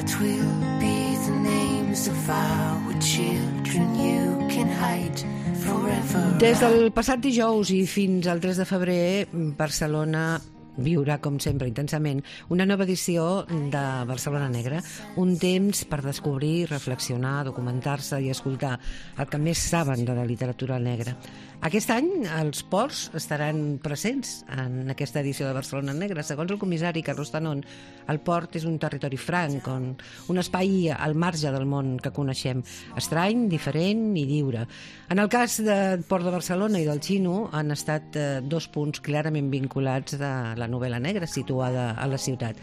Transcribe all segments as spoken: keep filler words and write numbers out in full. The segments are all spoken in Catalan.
What will be the names of our children you can hide forever? Des del passat dijous i fins al tres de febrer, Barcelona viurà, com sempre, intensament, una nova edició de Barcelona Negra, un temps per descobrir, reflexionar, documentar-se i escoltar el que més saben de la literatura negra. Aquest any els ports estaran presents en aquesta edició de Barcelona Negra. Segons el comissari Carlos Tanón, el port és un territori franc, on, un espai al marge del món que coneixem, estrany, diferent i lliure. En el cas del Port de Barcelona i del Xino han estat eh, dos punts clarament vinculats de la novel·la negra situada a la ciutat.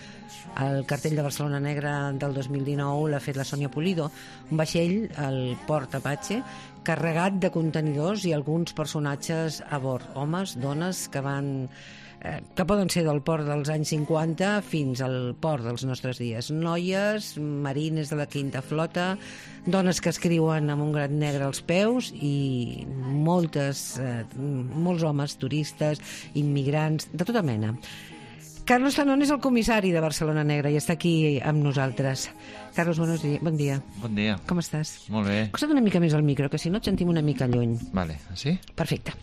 El cartell de Barcelona Negra del dos mil dinou l'ha fet la Sònia Pulido, un vaixell, el Port Apache, carregat de contenidors i alguns personatges a bord, homes, dones que van eh, que poden ser del port dels anys cinquanta fins al port dels nostres dies. Noies, marines de la quinta flota, dones que escriuen amb un gram negre als peus i moltes, eh, molts homes, turistes, immigrants, de tota mena. Carlos Tanón és el comissari de Barcelona Negra i està aquí amb nosaltres. Carlos, buenos días. Bon dia. Bon dia. Com estàs? Molt bé. Acosta't una mica més al micro, que si no et sentim una mica lluny. Vale, sí? Perfecte.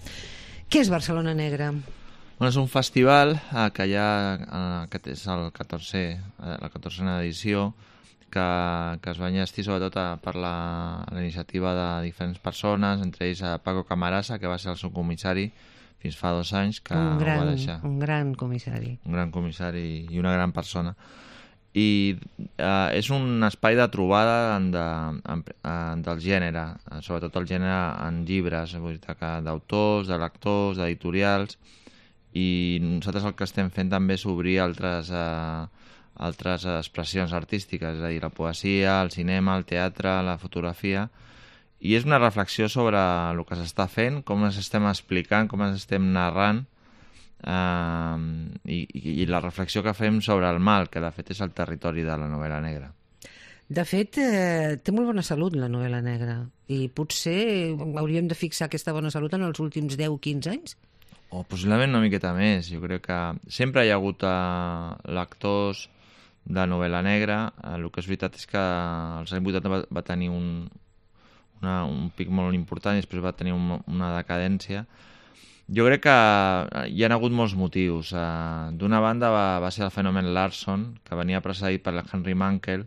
Què és Barcelona Negra? Bueno, és un festival eh, que ja eh, que és el catorzè, eh, la catorzena edició, que, que es va enllestir sobretot a, per la, la iniciativa de diferents persones, entre ells a Paco Camarasa, que va ser el seu comissari fins fa dos anys, que un gran, ho va deixar. Un gran comissari. Un gran comissari i una gran persona. I eh, és un espai de trobada de, en, en, del gènere, sobretot el gènere en llibres, vull dir que d'autors, de lectors, d'editorials, i nosaltres el que estem fent també és obrir altres, eh, altres expressions artístiques, és a dir, la poesia, el cinema, el teatre, la fotografia, i és una reflexió sobre el que s'està fent, com ens estem explicant, com ens estem narrant, Uh, i, i la reflexió que fem sobre el mal, que de fet és el territori de la novel·la negra. De fet, eh, té molt bona salut la novel·la negra, i potser hauríem de fixar aquesta bona salut en els últims deu o quinze anys? O possiblement una miqueta més. Jo crec que sempre hi ha hagut uh, lectors de novel·la negra. Uh, el que és veritat és que als anys vuitanta va, va tenir un, una, un pic molt important i després va tenir un, una decadència. Jo crec que hi ha hagut molts motius. Uh, D'una banda va, va ser el fenomen Larson, que venia precedit per Henry Mankell,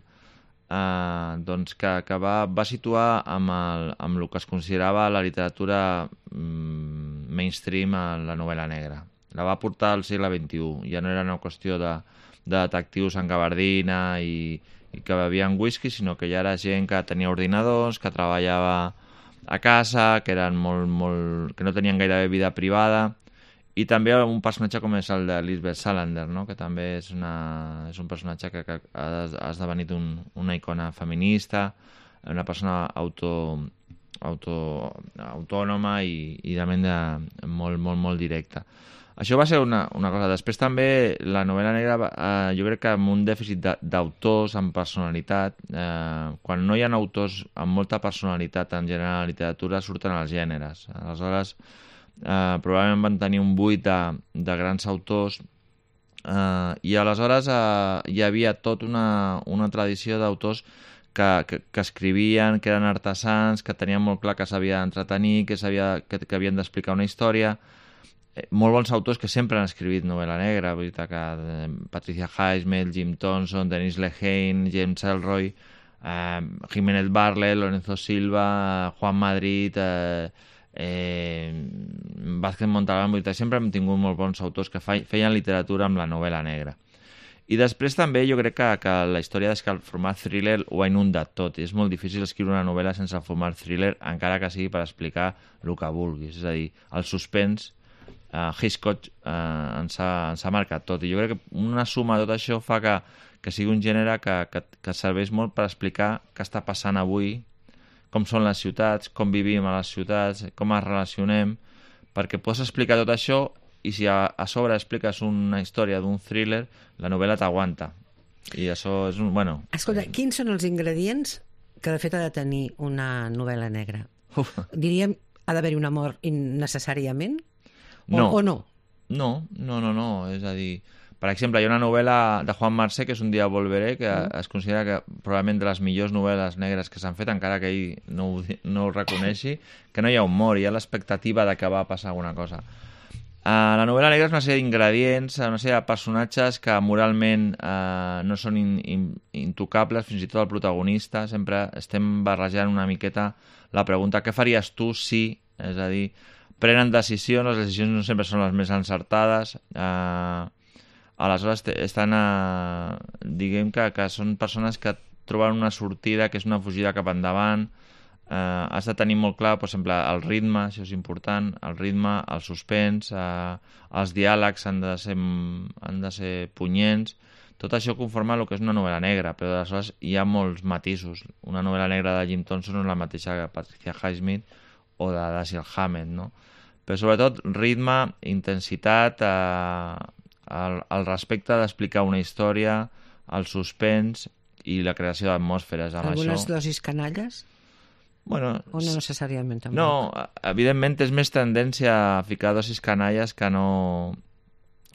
uh, doncs que, que va, va situar amb el, amb el que es considerava la literatura um, mainstream a la novel·la negra. La va portar al segle vint-i-u. Ja no era una qüestió de, de detectius en gabardina i, i que bevien whisky, sinó que ja era gent que tenia ordinadors, que treballava a casa, que eren molt, molt, que no tenien gairebé vida privada, i també un personatge com és el de Lisbeth Salander, no? Que també és, una, és un personatge que, que ha esdevenit un, una icona feminista, una persona auto, auto, autònoma i, i realment de, molt, molt, molt directa. Això va ser una, una cosa. Després també la novel·la negra, eh, jo crec que amb un dèficit d'autors amb personalitat, eh, quan no hi ha autors amb molta personalitat en general a la literatura, surten els gèneres. Aleshores, eh, probablement van tenir un buit de, de grans autors, eh, i aleshores eh, hi havia tota una, una tradició d'autors que, que, que escrivien, que eren artesans, que tenien molt clar que s'havia d'entretenir, que, que, que havien d'explicar una història. Molt bons autors que sempre han escrit novel·la negra, vull dir que Patricia Highsmith, Jim Thompson, Dennis Lehane, James Ellroy, eh, Jiménez Barlet, Lorenzo Silva, Juan Madrid, eh, eh, Vázquez Montalbán, vull dir que sempre hem tingut molt bons autors que feien literatura amb la novel·la negra. I després també jo crec que, que la història és que el format thriller ho ha inundat tot. És molt difícil escriure una novel·la sense el format thriller, encara que sigui per explicar el que vulguis. És a dir, el suspens, Uh, Hitchcock uh, ens, ha, ens ha marcat tot, i jo crec que una suma de tot això fa que, que sigui un gènere que, que, que serveix molt per explicar què està passant avui, com són les ciutats, com vivim a les ciutats, com ens relacionem, perquè pots explicar tot això i si a, a sobre expliques una història d'un thriller, la novel·la t'aguanta. I això és un... Bueno, escolta, quins són els ingredients que de fet ha de tenir una novel·la negra? Uf. Diríem, ha d'haver-hi un amor innecessàriament? O no. o no? No, no, no, no. És a dir, Per exemple, hi ha una novel·la de Juan Marsé, que és Un dia volveré, que Mm. es considera que probablement de les millors novel·les negres que s'han fet, encara que ell no ho, di- no ho reconeixi, que no hi ha humor, hi ha l'expectativa de que va passar alguna cosa. Uh, la novel·la negra és una sèrie d'ingredients, una sèrie de personatges que moralment uh, no són in, in, intocables, fins i tot el protagonista. Sempre estem barrejant una miqueta la pregunta què faries tu si, és a dir, prenen decisions, les decisions no sempre són les més encertades, uh, aleshores estan, uh, diguem que, que són persones que troben una sortida que és una fugida cap endavant. Uh, has de tenir molt clar, per exemple, el ritme, això és important, el ritme, el suspens, uh, els diàlegs han de ser, han de ser punyents. Tot això conforma el que és una novel·la negra, però aleshores hi ha molts matisos. Una novel·la negra de Jim Thompson no és la mateixa que Patricia Highsmith o de Dashiell Hammett, no? Però sobretot ritme, intensitat, uh, el, el respecte d'explicar una història, el suspens i la creació d'atmosferes. Amb Algunes això... dosis canalles? Bueno, O no necessàriament tampoc? no, evidentment és més tendència a ficar dosis canalles que no,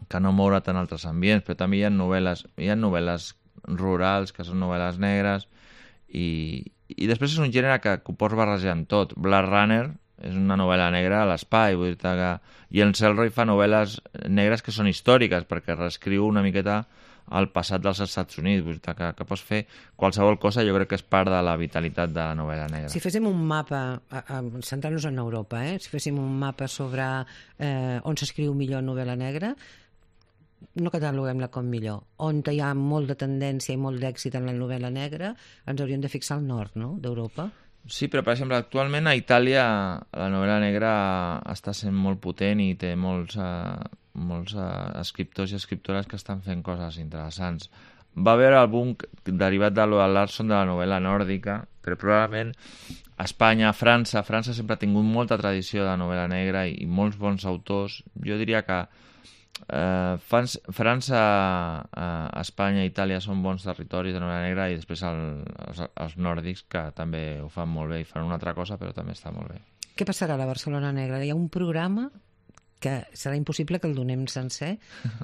que no moure't en altres ambients, però també hi ha novel·les, hi ha novel·les rurals, que són novel·les negres, i, i després és un gènere que, que ho pots barrejar amb tot. Blade Runner és una novel·la negra a l'espai, vull dir que... i en Selroy fa novel·les negres que són històriques, perquè reescriu una miqueta el passat dels Estats Units, vull dir que, que pots fer qualsevol cosa, jo crec que és part de la vitalitat de la novel·la negra. Si féssim un mapa, a- a- centrant-nos en Europa, eh? si féssim un mapa sobre eh, on s'escriu millor novel·la negra, no cataloguem-la com millor. On hi ha molt de tendència i molt d'èxit en la novel·la negra, ens hauríem de fixar al nord, no?, d'Europa. Sí, però per exemple, actualment a Itàlia la novel·la negra està sent molt potent i té molts, eh, molts eh, escriptors i escriptores que estan fent coses interessants. Va haver el boom derivat de lo de Larson de la novel·la nòrdica, però probablement a Espanya, a França, França sempre ha tingut molta tradició de novel·la negra i, i molts bons autors. Jo diria que eh, França, França eh, Espanya i Itàlia són bons territoris de novel·la negra i després el, els, els nòrdics que també ho fan molt bé i fan una altra cosa però també està molt bé. Què passarà a la Barcelona Negra? Hi ha un programa que serà impossible que el donem sencer,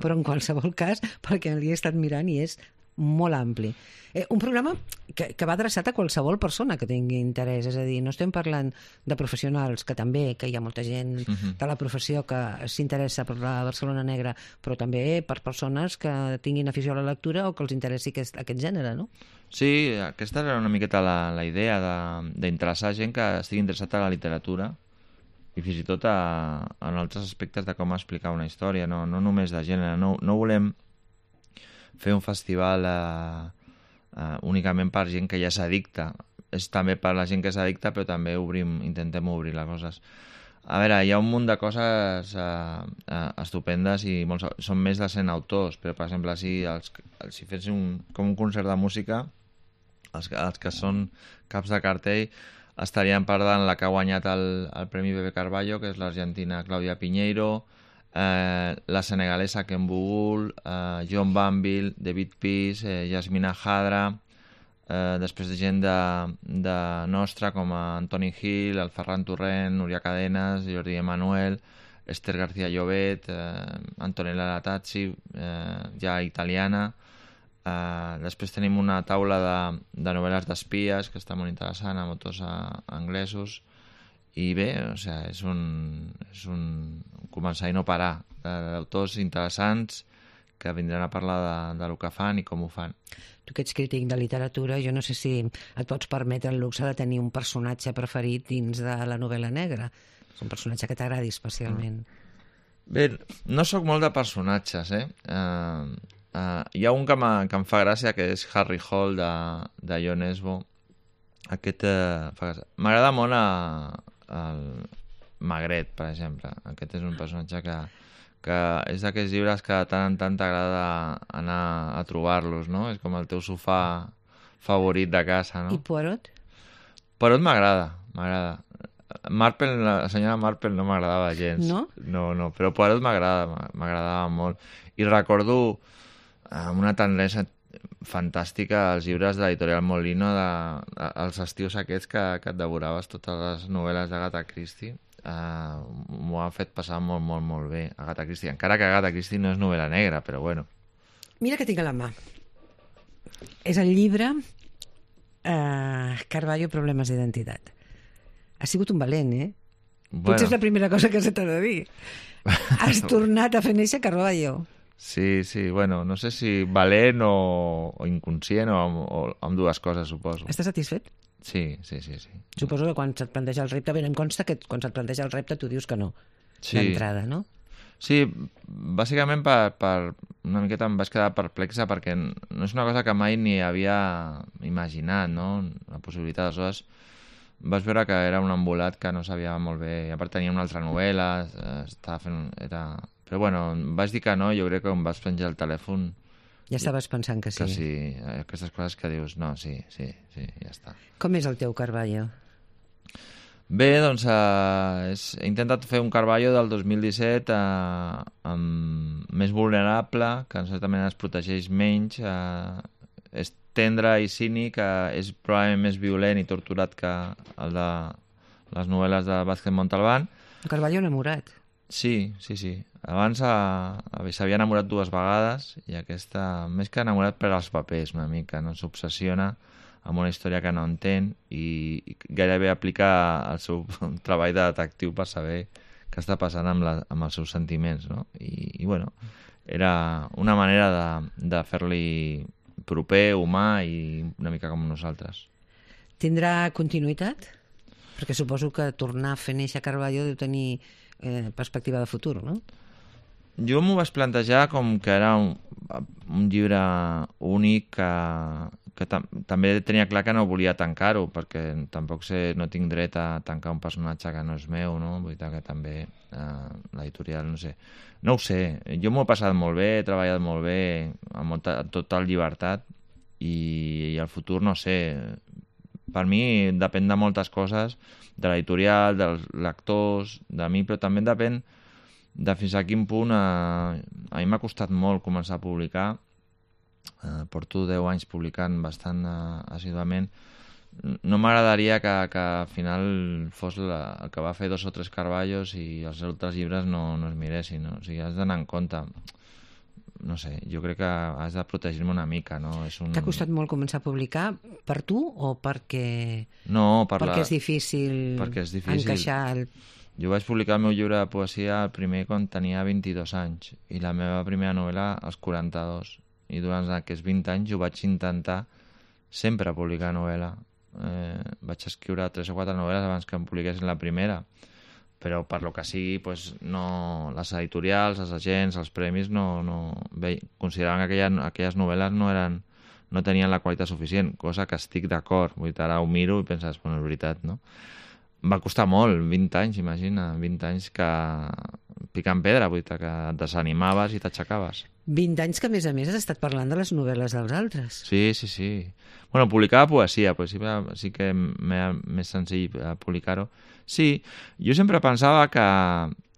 però en qualsevol cas, perquè l'he estat mirant i és molt ampli. Eh, un programa que, que va adreçat a qualsevol persona que tingui interès, és a dir, no estem parlant de professionals, que també, que hi ha molta gent Mhm. de la professió que s'interessa per la Barcelona Negra, però també per persones que tinguin afició a la lectura o que els interessi aquest, aquest gènere, no? Sí, aquesta era una miqueta la, la idea de- d'interessar gent que estigui interessat a la literatura i fins i tot a, en altres aspectes de com explicar una història, no, no només de gènere. No, no volem fer un festival eh, eh, únicament per gent que ja s'addicta. És també per la gent que s'addicta, però també obrim, intentem obrir les coses. A veure, hi ha un munt de coses eh, eh, estupendes i molts, són més de cent autors, però per exemple, si, els, si fes un, com un concert de música, els, els que són caps de cartell estarien parlant la que ha guanyat el, el Premi Bebe Carballo, que és l'argentina Claudia Piñeiro, eh, la senegalesa Ken Bugul, eh, John Banville, David Peace, eh, Yasmina Hadra, eh, després de gent de, de nostra com a Antoni Gil, el Ferran Torrent, Núria Cadenes, Jordi Emanuel, Esther García Llobet, eh, Antonella Latazzi, eh, ja italiana. Uh, després tenim una taula de, de novel·les d'espies que està molt interessant, amb autors uh, anglesos, i bé, o sigui, és un, és un començar i no parar d'autors interessants que vindran a parlar de, de lo que fan i com ho fan. Tu que ets crític de literatura, jo no sé si et pots permetre el luxe de tenir un personatge preferit dins de la novel·la negra. És un personatge que t'agradi especialment. Bé, no sóc molt de personatges, eh? Uh, uh, hi ha un que, que em fa gràcia, que és Harry Hole, de, de Jon Esbo. Aquest uh, fa gràcia. M'agrada molt a, el Magret, per exemple. Aquest és un personatge que, que és d'aquests llibres que de tant en tant t'agrada anar a trobar-los, no? És com el teu sofà favorit de casa, no? I Poirot? Poirot m'agrada, m'agrada. Marple, la senyora Marple no m'agradava gens. No? No, no, però Poirot m'agrada, m'agradava molt. I recordo amb una tendresa fantàstica els llibres de l'editorial Molino, de, de, els estius aquests que, que et devoraves totes les novel·les d'Agatha Christie. Uh, m'ho ha fet passar molt, molt, molt bé Agatha Christie, encara que Agatha Christie no és novel·la negra, però bueno, Mira que tinc a la mà. És el llibre eh, Carballo, problemes d'identitat. Has sigut un valent, eh? Bueno. Potser és la primera cosa que se t'ha de dir. Has tornat a fer néixer Carballo. Sí, sí, bueno, no sé si valent o, o inconscient o amb, o amb dues coses, suposo. Estàs satisfet? Sí, sí, sí, sí. Suposo que quan se't planteja el repte, bé, em consta que quan se't planteja el repte tu dius que no, sí. D'entrada, no? Sí, bàsicament per, per una miqueta em vaig quedar perplexa perquè no és una cosa que mai ni havia imaginat, no? La possibilitat, aleshores vaig veure que era un embolat que no sabia molt bé, i a part tenia una altra novel·la, estava fent... Era... Però bueno, em vaig dir que no, jo crec que em vaig penjar el telèfon. Ja estaves pensant que sí. Que sí, aquestes coses que dius, no, sí, sí, sí, ja està. Com és el teu Carballo? Bé, doncs eh, és, he intentat fer un Carballo del dos mil disset eh, amb, més vulnerable, que en certa manera es protegeix menys, eh, és tendre i cínic, eh, és probablement més violent i torturat que el de les novel·les de Vázquez Montalbán. Un Carballo enamorat. Sí, sí, sí. Abans eh, s'havia enamorat dues vegades i aquesta, més que enamorat per als papers una mica, no? S'obsessiona amb una història que no entén i, i gairebé aplica el seu treball de detectiu per saber què està passant amb, la, amb els seus sentiments, no? I, i bueno, era una manera de, de fer-li proper, humà i una mica com nosaltres. Tindrà continuïtat? Perquè suposo que tornar a fer néixer Carballo deu tenir eh, perspectiva de futur, no? Jo m'ho vaig plantejar com que era un, un llibre únic que, que tam també tenia clar que no volia tancar-ho, perquè tampoc sé, no tinc dret a tancar un personatge que no és meu, no? Vull dir que també eh, l'editorial, no sé. No ho sé, jo m'ho he passat molt bé, he treballat molt bé, amb molta, total llibertat, i, i el futur no sé. Per mi depèn de moltes coses, de l'editorial, dels lectors, de mi, però també depèn de fins a quin punt eh, a mi m'ha costat molt començar a publicar. Eh, porto deu anys publicant bastant eh, assiduament. No m'agradaria que, que al final fos la, el que va fer dos o tres Carballos i els altres llibres no, no es miressin, no? O sigui, has d'anar en compte. No sé, jo crec que has de protegir-me una mica, no? És un... T'ha costat molt començar a publicar per tu o perquè, no, per perquè la... és difícil, perquè és difícil encaixar el... Jo vaig publicar el meu llibre de poesia el primer quan tenia vint-i-dos anys i la meva primera novel·la als quaranta-dos. I durant aquests vint anys ho vaig intentar sempre publicar novel·la. Eh, vaig escriure tres o quatre novel·les abans que em publiquessin la primera. Però per lo que sigui, pues, no, les editorials, els agents, els premis, no, no, bé, consideraven que aquelles, aquelles novel·les no, eren, no tenien la qualitat suficient, cosa que estic d'acord. Vull dir, ara ho miro i penses, bueno, és veritat, no? Va costar molt, vint anys, imagina, vint anys que picant pedra, vull dir, que et desanimaves i t'aixecaves. vint anys que, a més a més, has estat parlant de les novel·les dels altres. Sí, sí, sí. Bueno, publicava poesia, però sí, sí que m'era més senzill publicar-ho. Sí, jo sempre pensava que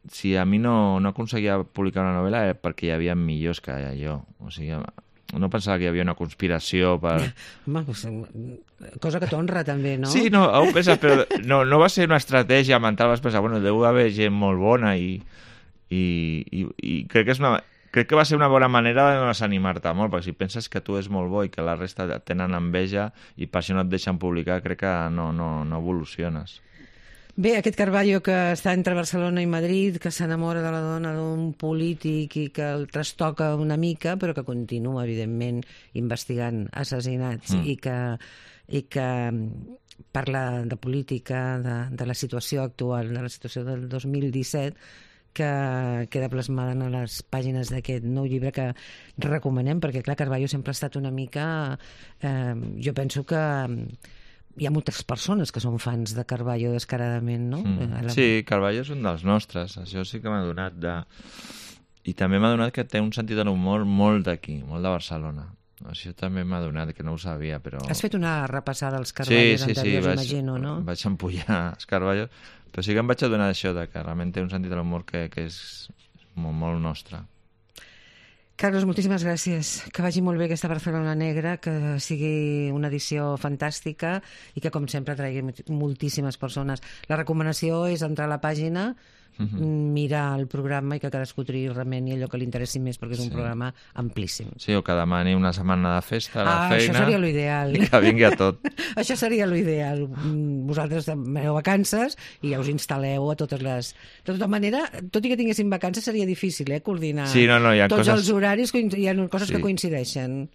si a mi no, no aconseguia publicar una novel·la era perquè hi havia millors que jo. O sigui, no pensava que hi havia una conspiració per... Home, pues, cosa que t'honra també, no? Sí, no, ho penses, però no, no va ser una estratègia mental, vas pensar, bueno, deu haver gent molt bona i, i, i, i crec que és una... Crec que va ser una bona manera de no desanimar-te molt, perquè si penses que tu és molt bo i que la resta tenen enveja i per això no et deixen publicar, crec que no, no, no evoluciones. Bé, aquest Carballo que està entre Barcelona i Madrid, que s'enamora de la dona d'un polític i que el trastoca una mica, però que continua, evidentment, investigant assassinats mm. i que, i que parla de política, de, de la situació actual, de la situació del dos mil disset, que queda plasmada en les pàgines d'aquest nou llibre que recomanem, perquè, clar, Carballo sempre ha estat una mica... Eh, jo penso que hi ha moltes persones que són fans de Carballo descaradament, no? Mm. Sí, Carballo és un dels nostres, això sí que m'ha donat de... I també m'ha donat que té un sentit de l'humor molt d'aquí, molt de Barcelona. Això també m'ha donat, que no ho sabia, però... Has fet una repassada als Carballos sí, sí, anteriors, sí, vaig, imagino, no? vaig empullar els Carballos, però sí que em vaig adonar d'això, que realment té un sentit de l'humor que, que és molt, molt nostre. Carlos, moltíssimes gràcies. Que vagi molt bé aquesta Barcelona Negra, que sigui una edició fantàstica i que, com sempre, traigui moltíssimes persones. La recomanació és entrar a la pàgina Mhm. mirar el programa i que cadascú triï realment allò que li interessi més, perquè és un Sí. programa amplíssim. Sí, o que demani una setmana de festa a la Ah, feina. això seria l'ideal. I que vingui a tot. Això seria l'ideal. Mm, Vosaltres demaneu vacances i ja us instal·leu a totes les... De tota manera, tot i que tinguéssim vacances, seria difícil, eh, coordinar Sí, no, no, hi ha tots coses- els horaris, coin- hi ha coses Sí. que coincideixen.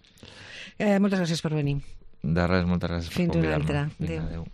Eh, moltes gràcies per venir. De res, moltes gràcies Fins per una convidar-me. altra. Vinga, Adéu. adéu.